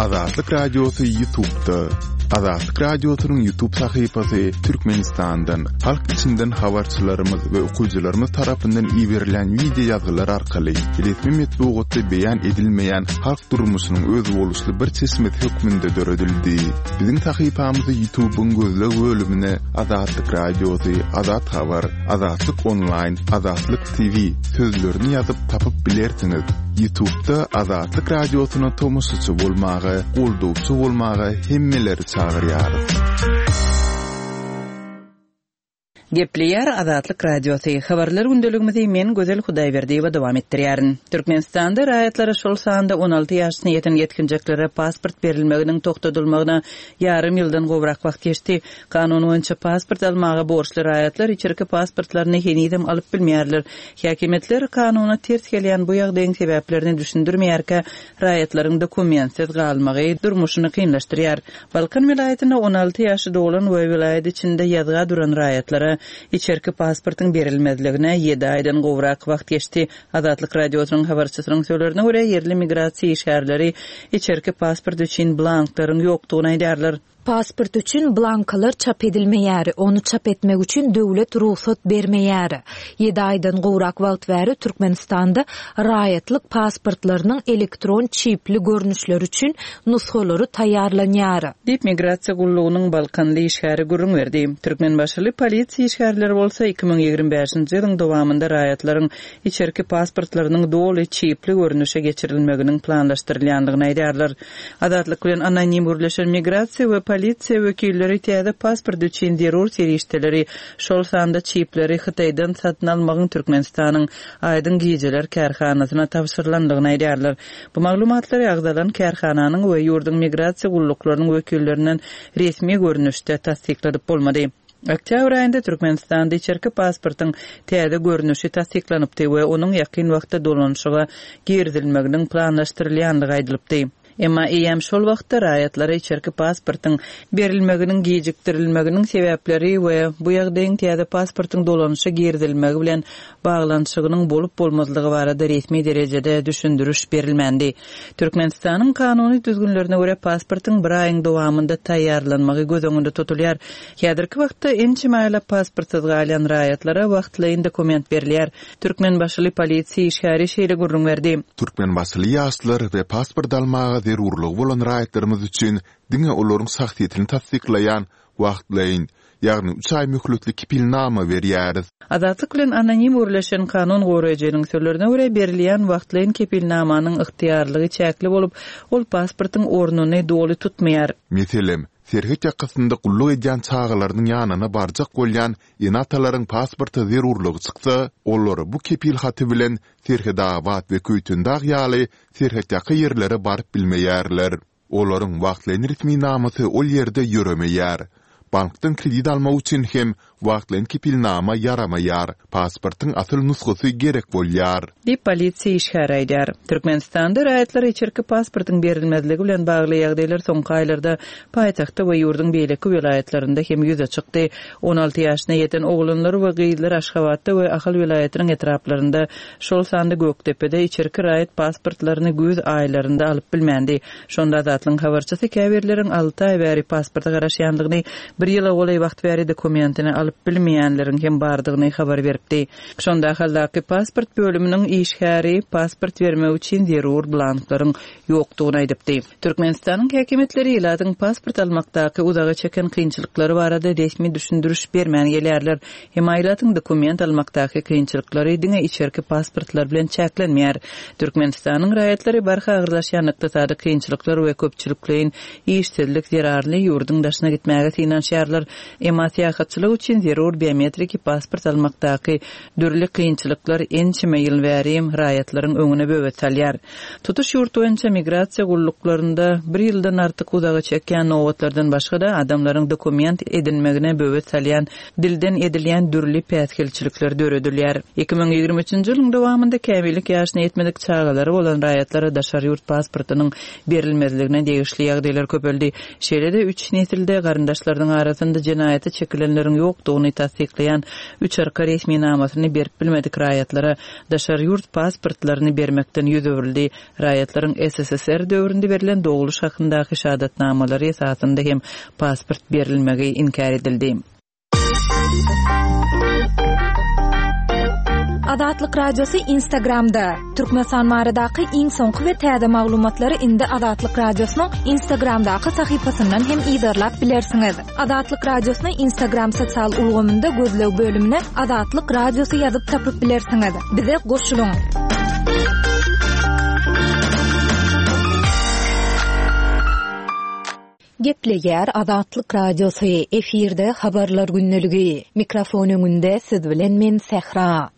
Azatlyk Radiosy Ýutubda. Azatlyk Radiosynyň Ýutub sahypasy Türkmenistandan, halk içinden habarçylarymyz we okyjylarymyz tarapyndan iberilen wideo ýazgylar arkaly resmi metbugatda beýan edilmeýän halk durmuşynyň özboluşly bir çeşmesi hökmünde döredildi. Biziň sahypamyzy Ýutubyň gözleg bölümine Azatlyk Radiosy, Azat Habar, Azatlyk Onlaýn, Azatlyk TV sözlerini ýazyp tapyp bilersiňiz. Ýutubda Azatlyk Radiosyna tomaşaçy bolmaga, goldawçy bolmaga hemmeleri çagyrýarys. Gepleýär Azatlyk Radiosy, Habarlar gündeligimizi men Gözel Hudaýberdiýewa dowam etdirýärin. Türkmenistanda raýatlara, şol sanda 16 ýaşyna ýeten ýetginjeklere pasport berilmeginiň togtadylmagyna ýarym ýyldan gowrak wagt geçdi. Kanun boýunça pasport almaga borçly raýatlar içerki pasportlaryny henizem alyp bilmeýärler. Häkimiýetler kanuna ters gelýän bu ýagdaýyň sebäplerini düşündirmeýärkä, raýatlaryň dokumentsiz galmagy durmuşyny kynlaşdyrýar. Balkan welaýatynda 16 ýaşy dolan we welaýat içinde ýazga duran raýatlara içerki pasportyň berilmezligine ýedi aýdan gowrak wagt geçdi. Azatlyk Radiosynyň habarçysynyň sözlerine görä, ýerli migrasiýa işgärleri içerki pasport üçin blanklaryň ýokdugyny aýdýarlar. Pasport üçin blankalar çap edilmeýär, ony çap etmek üçin döwlet rugsat bermeýär. Ýedi aýdan gowrak wagt bäri Türkmenistanda raýatlyk pasportlarynyň elektron çipli görnüşleri üçin nusgalary taýýarlanýar. Diýip, migrasiýa gullugynyň balkanly işgäri gürrüň berdi. Türkmenbaşyly polisiýa işgärleri bolsa 2025-nji ýylyň dowamynda raýatlaryň içerki pasportlarynyň doly çipli görnüşe geçirilmeginiň planlaşdyrylýandygyny aýdýarlar. Azatlyk bilen anonim gürleşen migrasiýa we polisiýa wekilleri täze pasport üçin zerur serişdeleri, şol sanda çipleri Hytaýdan satyn almagyň Türkmenistanyň Aýdyň gijeler kärhanasyna tabşyrylandygyny aýdýarlar. Bu maglumatlary agzalan kärhananyň we ýurduň migrasiýa gulluklarynyň wekillerinden resmi görnüşde tassykladyp bolmady. Oktýabr aýynda Türkmenistanda içerki pasportyň täze görnüşi tassyklanypdy we onuň ýakyn wagtda dolanyşyga girizilmeginiň planlaşdyrylýandygy aýdylypdy. Emma eýýäm şol wagtda raýatlara içerki pasportyň berilmeginiň gijikdirilmeginiň sebäpleri we bu ýagdaýyň täze pasportyň dolanyşa girizilmegi bilen baglanyşygynyň bolup-bolmazlygy barada resmi derejede düşündiriş berilmändi. Türkmenistanyň kanuny düzgünlerine görä, pasportyň bir aýyň dowamynda taýýarlanmagy göz öňünde tutulýar. Häzirki wagtda ençeme aýlap pasportsyz galýan raýatlara wagtlaýyn dokument berilýär. Türkmenbaşyly polisiýa işgäri şeýle gürrüň berdi. Türkmenbaşyly ýaşlar we pasport almaga zerurlygy bolan raýatlarymyz üçin diňe olaryň şahsyýetini tassyklaýan wagtlaýyn, ýagny üç aý möhletli kepilnama berýäris. Azatlyk bilen anonim gürleşen kanun goraýjynyň sözlerine görä, berilýän wagtlaýyn kepilnamanyň ygtyýarlygy çäkli bolup, ol pasportyň ornuny doly tutmaýar. Meselem, serhet ýakasynda gulluk edýän çagalarynyň ýanyna barjak bolýan ene-atalaryň pasporta zerurlygy çyksa, olar bu kepil haty bilen Serhetabat we Köýtendag ýaly serhetýaka ýerlere baryp bilmeýärler. Olaryň wagtlaýyn resminamasy ol ýerde ýöremeýär. Bankdan kredit almak üçin hem wagtlaýyn kepilnama ýaramaýar, pasportyň asyl nusgasy gerek bolýar. Diýip, polisiýa işgäri aýdýar. Türkmenistanda raýatlara içerki pasportyň berilmezligi bilen bagly ýagdaýlar soňky aýlarda paýtagtda we ýurduň beýleki welaýatlarynda hem ýüze çykdy. 16 ýaşyna ýeten oglanlar we gyzlar Aşgabatda we Ahal welaýatynyň etraplarynda, şol sanda Gökdepede içerki raýat pasportlaryny güýz aýlarynda alyp bilmändi. Şonda Azatlygyň habarçysy käbirleriň alty aý bäri pasporta garaşýandygyny, bir ýyla golaý wagt bäri dokumentini alyp bilmeýänleriň hem bardygyny habar beripdi. Şonda Ahaldaky pasport bölüminiň işgäri pasport bermek üçin zerur blanklaryň ýokdugyny aýdypdy. Türkmenistanyň häkimiýetleri ilatyň pasport almakdaky uzaga çeken kynçylyklary barada resmi düşündiriş bermän gelýärler. Emma ilatyň dokument almakdaky kynçylyklary diňe içerki pasportlar bilen çäklenmeýär. Türkmenistanyň raýatlary barha agyrlaşýan ykdysady kynçylyklar we köpçülikleýin işsizlik zerarly ýurduň daşyna gitmäge synanyşýarlar. Emma syýahatçylyk üçin zerur biometriki pasport almakdaky dürli kynçylyklar ençeme ýyl bäri raýatlaryň öňüne böwet salýar. Tutuş ýurt boýunça migrasiýa gulluklarynda bir ýyldan artyk uzaga çekýän nobatlardan başga-da, adamlaryň dokument edinmegine böwet salýan dilden edilýän dürli päsgelçilikler döredilýär. 2023-nji ýylyň dowamynda kämillik ýaşyna ýetmedik çagalary bolan raýatlara daşary ýurt pasportynyň berilmezligine degişli ýagdaýlar köpeldi. Şeýle-de, üç nesilde garyndaşlarynyň arasynda jenaýata çekilenleriň ýokdugy. ýokdugyny tassyklaýan üçarka resminamasyny berip bilmedik raýatlara daşary ýurt pasportlaryny bermekden ýüz öwrüldi. Raýatlaryň SSSR döwründe berlen dogluş hakyndaky şahadatnamalary esasynda hem pasport berilmegi inkär edildi. Azatlyk Radiosy Instagramda, Türkmenistan baradaky iň soňky we täze maglumatlary indi Azatlyk Radiosynyň Instagramdaky sahypasyndan hem yzarlap bilersiňiz. Azatlyk Radiosyny Instagram sosial ulgamynda gözleg bölümine Azatlyk Radiosy ýazyp tapyp bilersiňiz. Bize goşulyň! Gepleýär Azatlyk Radiosy, efirde Habarlar gündeligi. Mikrofon öňünde siz bilen men Sähra.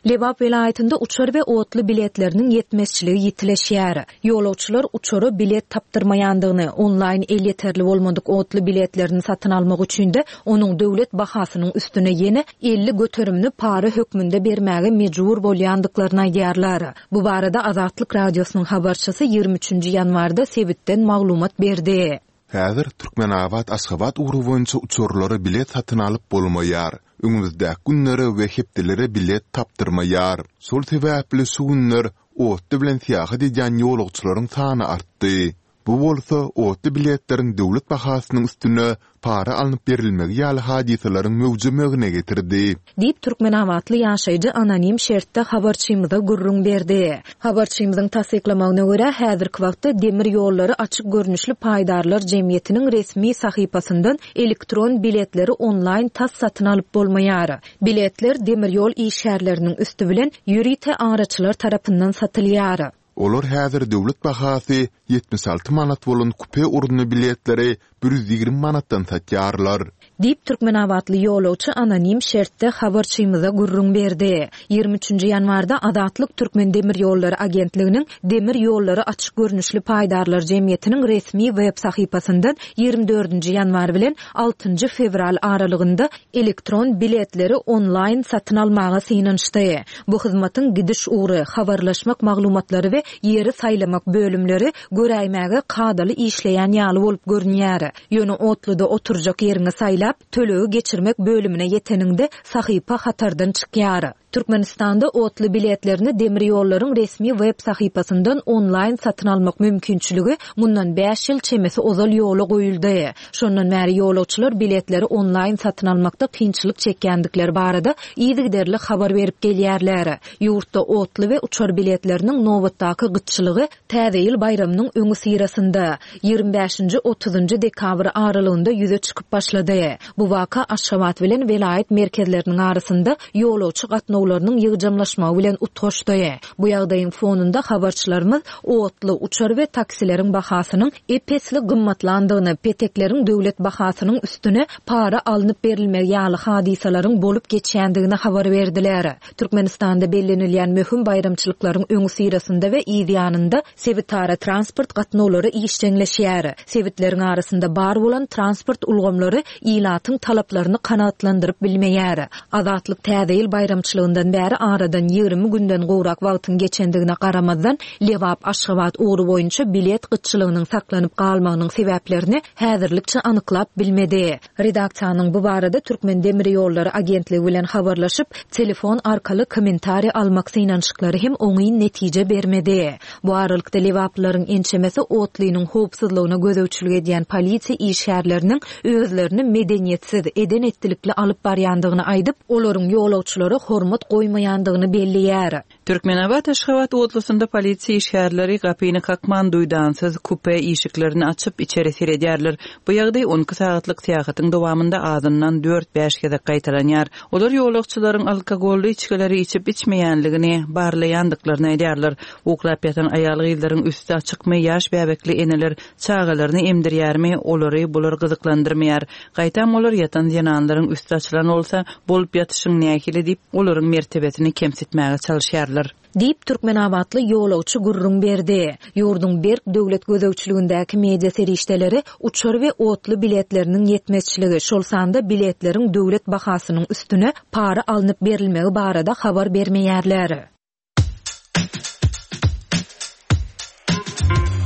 Lebap welaýatynda uçar we otly biletleriniň ýetmezçiligi ýitileşýär. Ýolagçylar uçara bilet tapdyrmaýandygyny, onlaýn elýeterli bolmadyk otly biletlerini satyn almak üçin-de onuň döwlet bahasynyň üstüne ýene 50 göterimini para hökmünde bermäge mejbur bolýandyklaryny aýdýarlar. Bu barada Azatlyk Radiosynyň habarçysy 23-nji ýanwarda sebitden maglumat berdi. Häzir Türkmenabat-Aşgabat ugry boýunça uçarlara bilet satyn alyp bolmaýar. Öňümizdäki günlere we hepdelere bilet tapdyrmaýar. Şol sebäpli şu günler otly bilen syýahat edýän ýolagçylaryň sany artdy. Bu bolsa otly biletleriň döwlet bahasynyň üstüne para alnyp berilmegi ýaly hadysalaryň möwjemegine getirdi. Diýip, türkmenabatly ýaşaýjy anonim şertde habarçymyza gürrüň berdi. Habarçymyzyň tassyklamagyna görä, häzirki wagtda Demir ýollary açyk görnüşli paýdarlar jemgyýetiniň resmi sahypasyndan elektron biletleri onlaýn tas satyn alyp bolmaýar. Biletler demir ýol işgärleriniň üsti bilen ýörite araçylar tarapyndan satylýar. Olar häzir döwlet bahasy 76 manat bolan kupe orunly biletleri 120 manatdan satýarlar. Diýip, türkmenabatly ýolagçy anonim şertde habarçymyza gürrüň berdi. 23-nji ýanwarda Azatlyk Türkmendemirýollary agentliginiň Demir ýollary açyk görnüşli paýdarlar jemgyýetiniň resmi web sahypasyndan 24-nji ýanwar bilen altynjy fewral aralygynda elektron biletleri onlaýn satyn almaga synanyşdy. Bu hyzmatyň gidiş ugry, habarlaşmak maglumatlary we ýeri saýlamak bölümleri göräýmäge kadaly işleýän ýaly bolup görünýär. Ýöne otluda oturjak ýeriňi saýlap, tölegi geçirmek bölümine ýeteniňde sahypa hatardan çykýar. Türkmenistanda otly biletlerini demir ýollaryň resmi web sahypasyndan onlaýn satyn almak mümkinçiligi mundan bäş ýyl çemesi ozal ýola goýuldy. Şondan bäri ýolagçylar biletleri onlaýn satyn almakda kynçylyk çekýändikleri barada yzygiderli habar berip gelýärler. Ýurtda otly we uçar biletleriniň nobatdaky gytçylygy Täze ýyl baýramynyň öňüsyrasynda, 25 bäşinji, otuzynjy dekabr aralygynda ýüze çykyp başlady. Bu waka Aşgabat bilen welaýat merkezleriniň arasynda ýolagçy gatnawlarynyň ýygjamlaşmagy bilen utgaşdy. Bu ýagdaýyň fonunda habarçylarymyz otly, uçar we taksileriň bahasynyň ep-esli gymmatlandygyny, petekleriň döwlet bahasynyň üstüne para alnyp berilmegi ýaly hadysalaryň bolup geçýändigini habar berdiler. Türkmenistanda bellenilýän möhüm baýramçylyklaryň öňüsyrasynda we yz ýanynda sebitara transport gatnawlary işjeňleşýär. Sebitleriň arasynda bar bolan transport ulgamlary ilatyň talaplaryny kanagatlandyryp bilmeýär. Azatlyk Täze ýyl baýramçylygyndan bäri aradan 20 günden gowrak wagtyň geçendigine garamazdan, Lebap-Aşgabat ugry boýunça bilet gytçylygynyň saklanyp galmagynyň sebäplerini häzirlikçe anyklap bilmedi. Redaksiýanyň bu barada Türkmendemirýollary agentligi bilen habarlaşyp, telefon arkaly kommentariý almak synanyşyklary hem oňyn netije bermedi. Bu aralykda lebaplylaryň ençemesi otlynyň howpsuzlygyna gözegçilik edýän polisiýa işgärleriniň özlerini medeniýetsiz, eden-etdilikli alyp barýandygyny aýdyp, olaryň ýolagçylara hormat goýmaýandygyny belleýär. Türkmenabat-Aşgabat otlusynda polisiýa işgärleri gapyny kakman duýdansyz kupe işiklerini açyp, içeri seredýärler. Bu ýagdaý on iki sagatlyk syýahatyň dowamynda azyndan dört-bäş gezek gaýtalanýar. Olar ýolagçylaryň alkogolly içgileri içip-içmeýänligini barlaýandyklaryny aýdýarlar. Uklap ýatan aýal-gyzlaryň üsti açykmy, ýaş bäbekli eneler çagalaryny emdirýärmi, olary bular gyzyklandyrmaýar. Gaýtam olar ýatan zenanlaryň üsti açylan bolsa, bolup ýatyşyň nähili diýip, olaryň mertebesini kemsitmäge çalyşýarlar. Diýip, türkmenabatly ýolagçy gürrüň berdi. Ýurduň berk döwlet gözegçiligindäki media serişdeleri uçar we otly biletleriniň ýetmezçiligi, şol sanda biletleriň döwlet bahasynyň üstüne para alnyp berilmegi barada habar bermeýärler.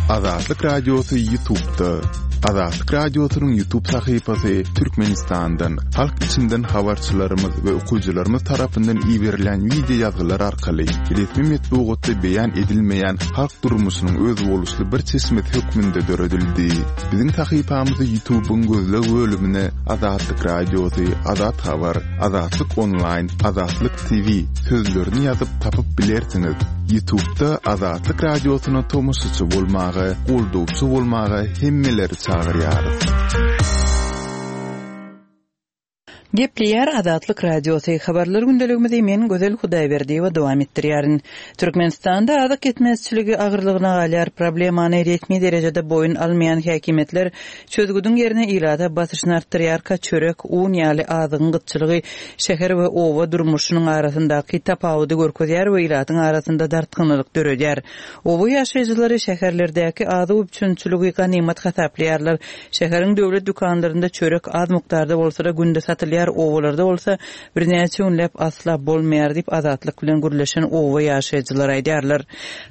Azatlyk Radiosy YouTube'da. Azatlyk Radiosynyň YouTube sahypasy Türkmenistandan, halk içinden habarçylarymyz we okyjylarymyz tarapyndan iberilýän wideo ýazgylar arkaly resmi metbugatda beýan edilmeýän halk durmuşynyň özboluşly bir çeşmesi hökmünde döredildi. Biziň sahypamyzy YouTube-yň gözleg bölümine Azatlyk Radiosy, Azat Habar, Azatlyk Onlaýn, Azatlyk TV sözlerini ýazyp tapyp bilersiňiz. Ýutubda Azatlyk Radiosyna tomaşaçy bolmaga, goldawçy bolmaga hemmeleri çagyrýarys. Gepleýär Azatlyk Radiosy, Habarlar gündeligimizi men Gözel Hudaýberdiýewa dowam etdirýärin. Türkmenistanda azyk ýetmezçiligi agyrlygyna galýar. Problemany resmi derejede boýun almaýan häkimiýetler çözgüdiň ýerine ilata basyşyny artdyrýarka çörek, un ýaly azygyň gytçylygy şäher we oba durmuşynyň arasyndaky tapawudy görkezýär we ilatyň arasynda dartgynlylyk döredýär. Oba ýaşaýjylary şäherlerdäki azyk üpjünçiligi ganymat hasaplaýarlar. Şäheriň döwlet dükanlarynda çörek az mukdarda bolsa-da günde satylýar, obalarda bolsa birnäçe günläp asla bolmaýar diýip, Azatlyk bilen gürleşen oba ýaşaýjylary aýdýarlar.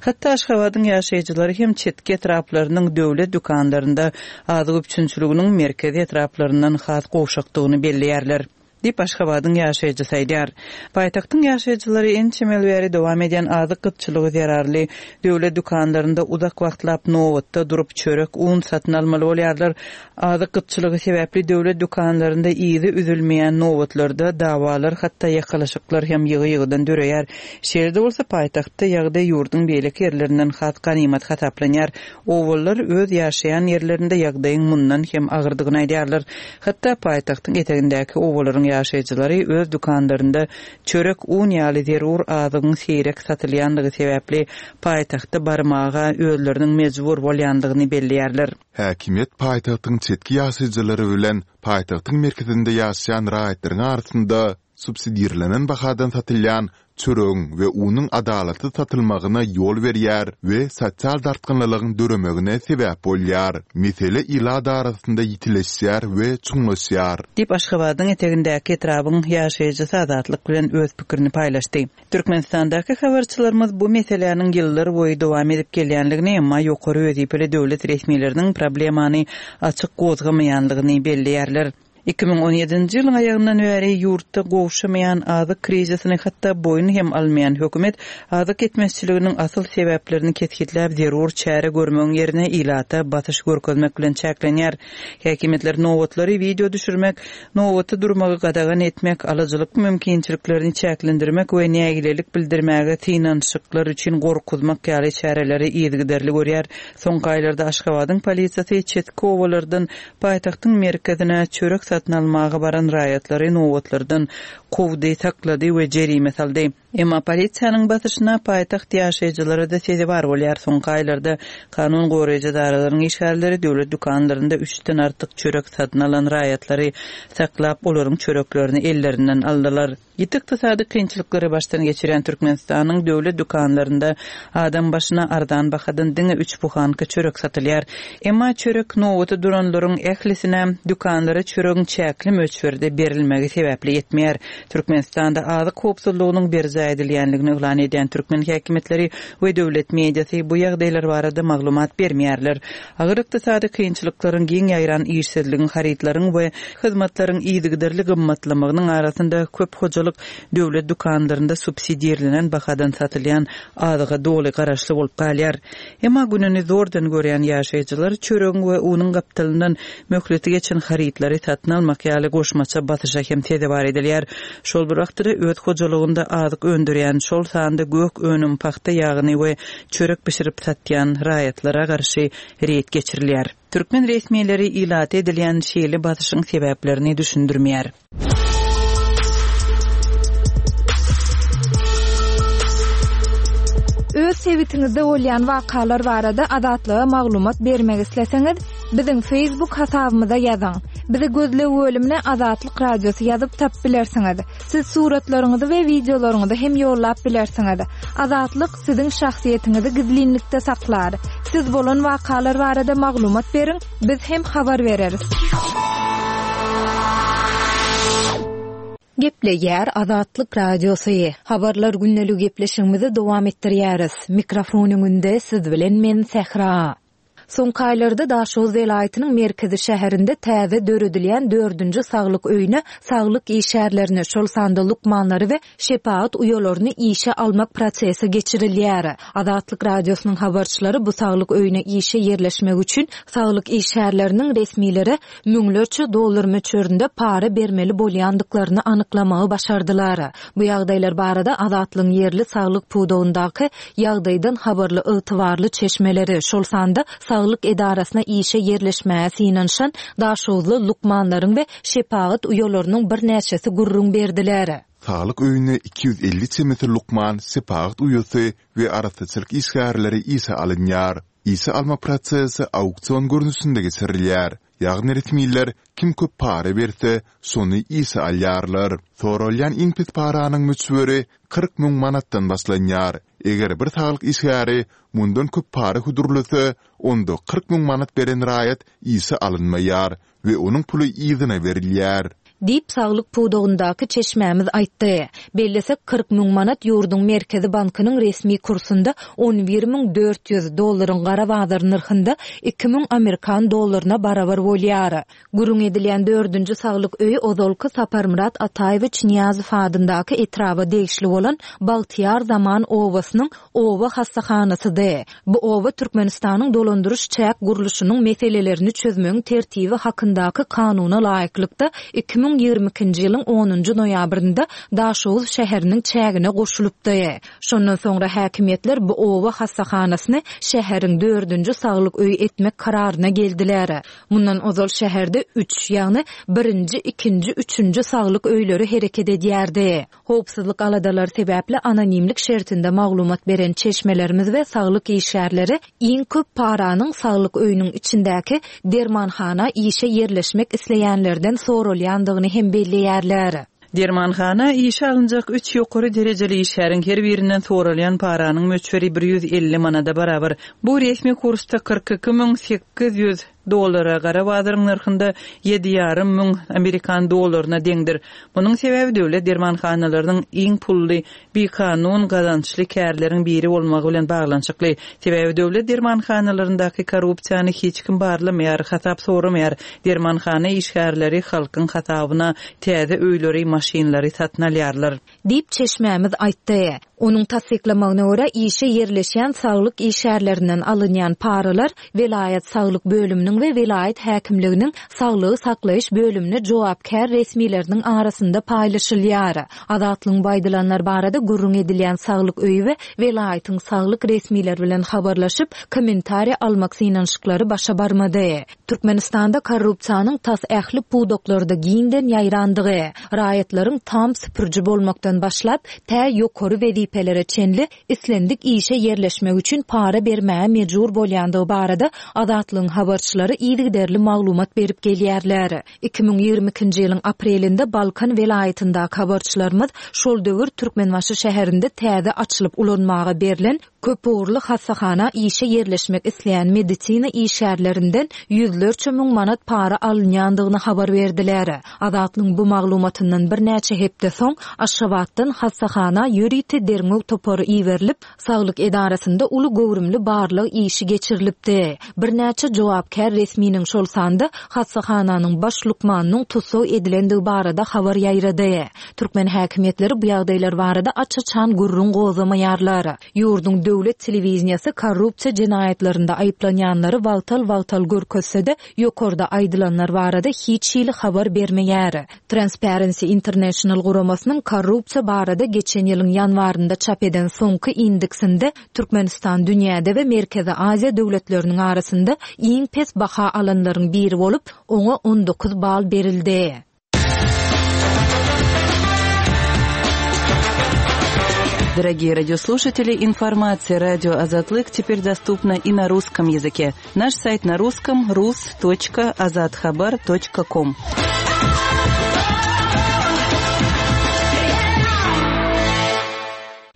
Hatda Aşgabadyň ýaşaýjylary hem çetki etraplarynyň döwlet dükanlarynda azyk üpjünçiliginiň merkezi etraplaryndan has gowşakdygyny belleýärler. Diýip, Aşgabadyň ýaşaýjysy aýdýar. Paýtagtyň ýaşaýjylary ençeme ýyl bäri dowam edýän azyk gytçylygy zerarly döwlet dükanlarynda uzak wagtlap nobatda durup, çörek, un satyn almaly bolýarlar. Azyk gytçylygy sebäpli döwlet dükanlarynda yzy üzülmeýän nobatlarda dawalar, hatda ýakalaşyklar hem ýygy-ýygydan döreýär. Şeýle-de bolsa, paýtagtda ýagdaý ýurduň beýleki ýerlerinden has ganymat hasaplanýar. Obalylar öz ýaşaýan ýerlerinde ýagdaýyň mundan hem agyrdygyny aýdýarlar. Hatda paýtagtyň etegindäki obalaryň ýaşaýjylary öz dükanlarynda çörek, un ýaly zerur azygyň seýrek satylýandygy sebäpli paýtagta barmaga özleriniň mejbur bolýandygyny belleýärler. Häkimiýet paýtagtyň çetki ýaşaýjylary bilen paýtagtyň merkezinde ýaşaýan raýatlaryň arasynda subsidirlenen bahadan satylýan çöregiň we unuň adalatsyz satylmagyna ýol berýär we sosial dartgynlylygyň döremegine sebäp bolýar. Mesele ilat arasynda ýitileşýär we çuňlaşýar. Diýip, Aşgabadyň etegindäki etrabyň ýaşaýjysy Azatlyk bilen öz pikirini paýlaşdy. Türkmenistandaky habarçylarymyz bu meseläniň ýyllar boýy dowam edip gelýänligini, emma ýokary wezipeli döwlet resmileriniň problemany açyk gozgamaýanlygyny belleýärler. 2017-nji ýylyň aýagyndan bäri ýurtda gowşamaýan azyk krizisini hatda boýun hem almaýan hökümet azyk ýetmezçiliginiň asyl sebäplerini kesgitläp zerur çäre görmegiň ýerine ilata basyş görkezmek bilen çäklenýär. Häkimiýetler nobatlary wideo düşürmek, nobatda durmagy gadagan etmek, alyjylyk mümkinçiliklerini çäklendirmek we nägilelik bildirmäge synanyşyklar üçin gorkuzmak ýaly çäreleri yzygiderli görýär. Soňky aýlarda Aşgabadyň polisiýasy çetki obalardan Paýtagtyň merkezine çörek satyn almaga baran raýatlary nobatlardan kowdy, saklady we jerime saldy. Emma polisiýanyň basyşyna paýtagt ýaşaýjylary-da sezewar bolýar. Soňky aýlarda kanun goraýjy edaralaryň işgärleri döwlet dükanlarynda üçden artyk çörek satyn alan raýatlary saklap, olaryň çöreklerini ellerinden aldylar. Ýiti ykdysady kynçylyklary başdan geçirýän Türkmenistanyň döwlet dükanlarynda adam başyna arzan bahadan diňe üç buhanka çörek satylýar. Emma çörek nobata duranlaryň ählisine dükanlara çöregiň çäkli möçberde berilmegi sebäpli ýetmeýär. Türkmenistanda azyk howpsuzlygynyň berjaý edilýänligini yglan edýän türkmen häkimiýetleri we döwlet mediasy bu ýagdaýlar barada maglumat bermeýärler. Agyr ykdysady kynçylyklaryň, giň ýaýran işsizligiň, harytlaryň we hyzmatlaryň yzygiderli gymmatlamagynyň arasynda köp hojalyk döwlet dükanlarynda subsidirlenen bahadan satylýan azyga doly garaşly bolup galýar. Emma gününi zordan görýän ýaşaýjylar çöregiň we unuň gapdalyndan möhleti geçen harytlary satyn almak ýaly goşmaça basyşa hem sezewar edilýär. Şol bir wagtda-da öz hojalygynda azyk öndürýän, şol sanda gök önüm, pagta ýagyny we çörek bişirip satýan raýatlara garşy reýd geçirilýär. Türkmen resmileri ilata edilýän şeýle basyşyň sebäplerini düşündirmeýär. Öz sebitiňizde bolýan wakalar barada Azatlyga maglumat bermek isleseňiz, biziň Facebook hasabymyza ýazyň. Bizi gözleg bölümine Azatlyk Radiosy ýazyp tapyp bilersiňiz. Siz suratlaryňyzy we wideolaryňyzy hem ýollap bilersiňiz. Azatlyk siziň şahsyýetiňizi gizlinlikde saklar. Siz bolan wakalar barada maglumat beriň, biz hem habar bereris. Gepleýär Azatlyk Radiosy. Habarlar gündeligi gepleşigimizi dowam etdirýäris. Mikrofon öňünde siz bilen men Sähra. Soňky aýlarda Daşoguz welaýatynyň merkezi şäherinde täze döredilýän dördünji saglyk öýüne saglyk işgärlerini, şol sanda lukmanlary we şepagat uýalaryny işe almak prosesi geçirilýär. Azatlyk Radiosynyň habarçylary bu saglyk öýüne işe ýerleşmek üçin saglyk işgärleriniň resmilere müňlerçe dollar möçberinde para bermeli bolýandyklaryny anyklamagy başardylar. Bu ýagdaýlar barada Azatlygyň ýerli saglyk pudagyndaky ýagdaýdan habarly ygtybarly çeşmeleri, şol sanda saglyk edarasyna işe ýerleşmäge synanyşan daşoguzly lukmanlaryň we şepagat uýalarynyň birnäçesi gürrüň berdiler. Saglyk öýüne 250 çemesi lukman, şepagat uýasy we arassaçylyk işgärleri işe alynýar. Işe almak prosesi auksion görnüşinde geçirilýär. Ýagny resmiler kim köp para berse, şony işe alýarlar. Soralýan iň pes paranyň möçberi 40 müň manatdan başlanýar. Eger bir saglyk işgäri mundan köp para hödürlese, onda 40 müň manat beren raýat işe alynmaýar we onuň puly yzyna berilýär. Diýip, saglyk pudagyndaky çeşmämiz aýtdy. Bellesek, 40 müň manat ýurduň Merkezi bankynyň resmi kursunda 11 400, dollaryň gara bazar nyrhynda 2000 amerikan dollaryna barabar bolýar. Gürrüň edilýän dördünji saglyk öýi ozalky Saparmyrat Ataýewiç Nyýazow adyndaky etraba degişli bolan Bagtyýar zaman obasynyň oba hassahanasydy. Bu oba Türkmenistanyň dolandyryş-çäk gurluşynyň meselelerini çözmegiň tertibi hakyndaky Kanuna laýyklykda, 2022-nji ýylyň onunjy noýabrynda Daşoguz şäheriniň çägine goşulypdy. Şondan soňra häkimiýetler bu oba hassahanasyny şäheriň dördünji saglyk öýi etmek kararyna geldiler. Mundan ozal şäherde üç, ýagny birinji, ikinji, üçünji saglyk öýleri hereket edýärdi. Howpsuzlyk aladalary sebäpli anonimlik şertinde maglumat beren çeşmelerimiz we saglyk işgärleri iň köp paranyň saglyk öýüniň içindäki dermanhana işe ýerleşmek isleýänlerden soralýandygyny hem belleýärler. Dermanhana işe alynjak üç ýokary derejeli işgäriň her birinden soralýan paranyň möçberi 150 manada barabar. Bu resmi kursda 42 800 dollara, gara bazaryň nyrhynda ýedi ýarym müň amerikan dollaryna deňdir. Munuň sebäbi döwlet dermanhanalarynyň iň pully, bikanun gazançly kärleriň biri bolmagy bilen baglanyşykly. Sebäbi döwlet dermanhanalaryndaky korrupsiýany hiç kim barlamaýar, hasap soramaýar. Dermanhana işgärleri halkyň hasabyna täze öýleri, maşynlary satyn alýarlar. Diýip, çeşmämiz aýtdy. Onuň tassyklamagyna görä, işe ýerleşýän saglyk işgärlerinden alynýan paralar welaýat saglyk bölüminiň we welaýat häkimliginiň saglygy saklaýyş bölümine jogapkär resmileriniň arasynda paýlaşylýar. Azatlygyň bu aýdylanlar barada gürrüň edilýän saglyk öýi we welaýatyň saglyk resmileri bilen habarlaşyp, kommentariýa almak synanyşyklary başa barmady. Türkmenistanda korrupsiýanyň tas ähli pudaklarda giňden ýaýrandygy, raýatlaryň tam süpüriji bolmakdan başlap, tä ýokary wezipelere çenli islendik işe ýerleşmek üçin para bermäge mejbur bolýandygy barada Azatlygyň habarçylary yzygiderli maglumat berip gelýärler. 2022-nji ýylyň aprelinde Balkan welaýatyndaky habarçylarymyz şol döwür Türkmenbaşy şäherinde täze açylyp ulanmaga berlen Köpugurly hassahana işe ýerleşmek isleýän medisina işgärlerinden ýüzlerçe müň manat para alynýandygyny habar berdiler. Azatlygyň bu maglumatyndan birnäçe hepde soň, Aşgabatdan hassahana ýörite derňew topary iberilip, saglyk edarasynda uly göwrümli barlag işi geçirilipdi. Birnäçe jogapkär resminiň, şol sanda hassahananyň baş lukmanynyň tussag edilendigi barada habar ýaýrady. Türkmen häkimiýetleri bu ýagdaýlar barada aç-açan gürrüň gozgamaýarlar. Ýurduň döwlet telewideniýesi korrupsiýa jenaýatlarynda aýyplanýanlary wagtal-wagtal görkezse-de, ýokarda aýdylanlar barada hiç hili habar bermeýär. Transparency International guramasynyň korrupsiýa barada geçen ýylyň ýanwarynda çap eden soňky indeksinde Türkmenistan dünýäde we Merkezi Aziýa döwletleriniň arasynda iň pes baha alanlaryň biri bolup, oňa 19 bal berildi. Дорогие радиослушатели, информация радио Азатлык теперь доступна и на русском языке. Наш сайт на русском rus.azathabar.com.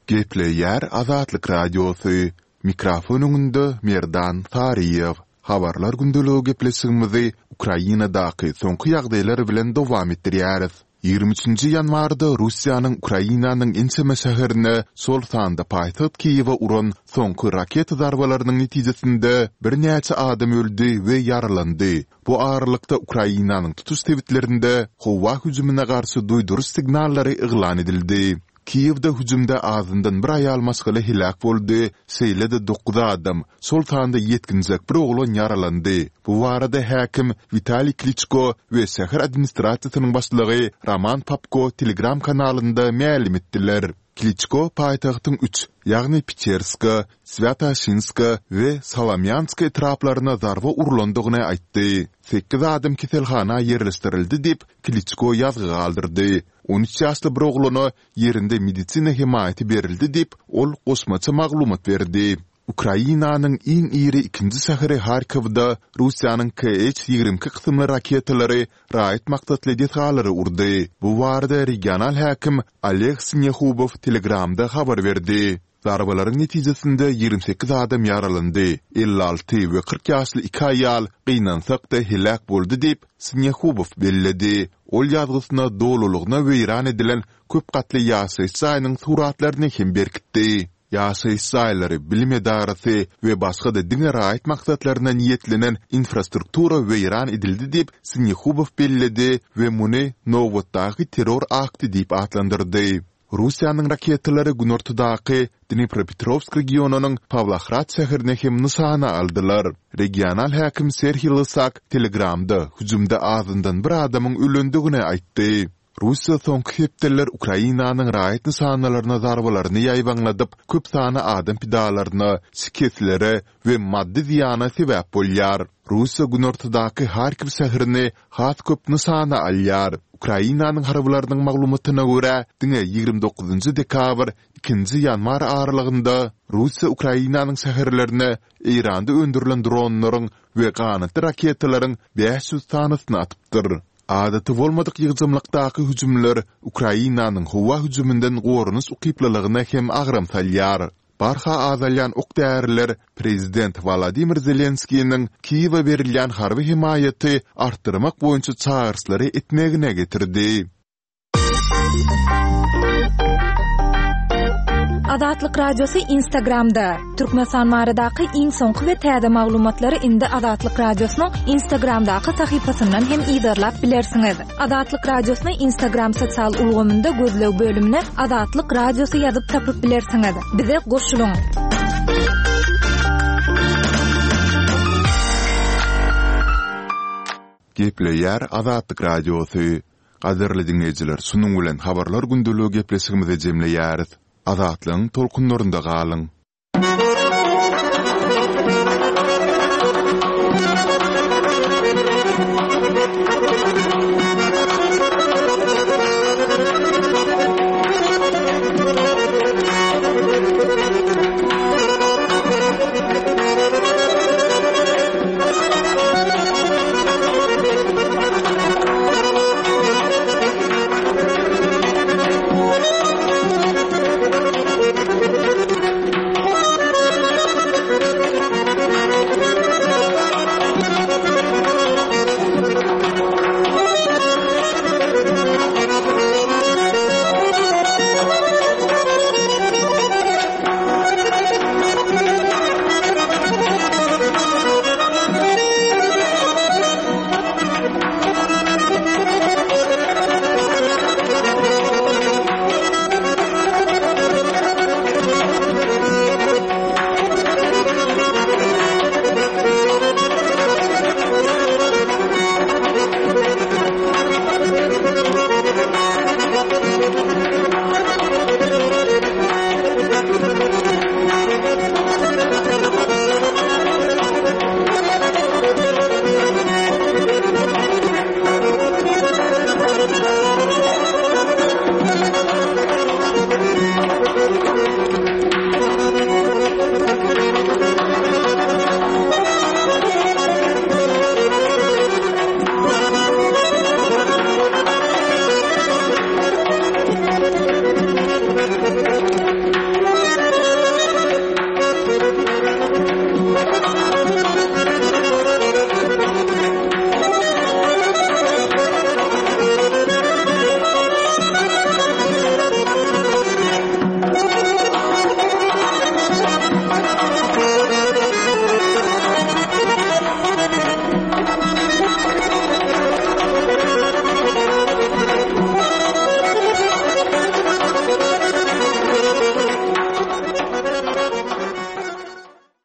Gepleýär Azatlyk Radiosy, Mikrofon öňünde Merdan Saryýew. Habarlar gündeligi gepleşigimizi Ukrainadaky soňky ýagdaýlar bilen dowam etdirýäris. 23-nji ýanwarda Russiýanyň Ukrainanyň ençeme şäherine, şol sanda paýtagt Kiýewe uran soňky raketa zarbalarynyň netijesinde birnäçe adam öldi we ýaralandy. Bu aralykda Ukrainanyň tutuş sebitlerinde howa hüjümine garşy duýduryş signallary yglan edildi. Kiýewde hüjümde azyndan bir aýal maşgala heläk boldy, şeýle-de dokuz adam, şol sanda ýetginjek bir oglan ýaralandy. Bu barada häkim Witaliý Kliçko we şäher administrasiýasynyň başlygy Roman Popko Telegram kanalynda mälim etdiler. Kliçko paýtagtyň üç, ýagny Peçerska, Swýatoşinska we Solomýanska etraplaryna zarba urlandygyny aýtdy. Sekiz adam keselhana ýerleşdirildi diýip, Kliçko ýazgy galdyrdy. 13 ýaşly bir oglana ýerinde medisina hemaýaty berildi diýip, ol goşmaça maglumat berdi. Ukrainanyň iň iri ikinji şäheri Harkowda Russiýanyň KH 22 kysymly raketalary raýat maksatly desgalary urdy. Bu barada regional häkim Oleg Sinehubow Telegramda habar berdi. Zarbalaryň netijesinde 28 adam ýaralandy, 56 we 40 ýaşly iki aýal, gynansak-da, heläk boldy diýip, Sinehubow belledi. Ol ýazgysyna dolulygyna weýran edilen köp gatly ýaşaýyş jaýynyň suratlaryny hem berkitdi. Ýaşaýyş jaýlary, bilim edarasy we başga-da diňe raýat maksatlaryna niýetlenen infrastruktura weýran edildi diýip, Sinehubow belledi we muny nobatdaky terror akty diýip atlandyrdy. Russiýanyň raketalary günortadaky Dnipropetrowsk regionynyň Pawlohrad şäherini hem nyşana aldylar. Regional häkim Serhiý Lysak Telegramda hüjümde azyndan bir adamyň ölendigini aýtdy. Russiýa soňky hepdeler Ukrainanyň raýat nyşanalaryna zarbalaryny ýaýbaňladyp, köp sanly adam pidalaryna, şikeslere we maddy zyýana sebäp bolýar. Russiýa günortadaky Harkiw şäherini has köp nyşana alýar. Ukrainanyň harbylarynyň maglumatyna görä, diňe 29 dekabr, ikinji ýanwar aralygynda Russiýa Ukrainanyň şäherlerine Eýranda öndürilen dronlaryň we ganatly raketalaryň 500 sanysyny atypdyr. Adaty bolmadyk ýygjamlykdaky hüjümler Ukrainanyň howa hüjüminden goranyş ukyplylygyna hem agram salýar. Barha azalýan ok-däriler prezident Wolodymyr Zelenskiniň Kiýewe berilýän harby hemaýaty artdyrmak boýunça çagyryşlary etmegine getirdi. Azatlyk Radiosy Instagramda, Türkmenistan baradaky iň soňky we täze maglumatlary indi Azatlyk Radiosynyň Instagramdaky sahypasyndan hem yzarlap bilersiňiz. Azatlyk Radiosyny Instagram sosial ulgamynda gözleg bölümine Azatlyk Radiosy ýazyp tapyp bilersiňiz. Bize goşulyň! Gepleýär Azatlyk Radiosy. Gadyrly diňleýjiler, şunuň bilen Habarlar gündeligi gepleşigimizi jemleýäris. Azatlygyň tolkunlarynda galyň!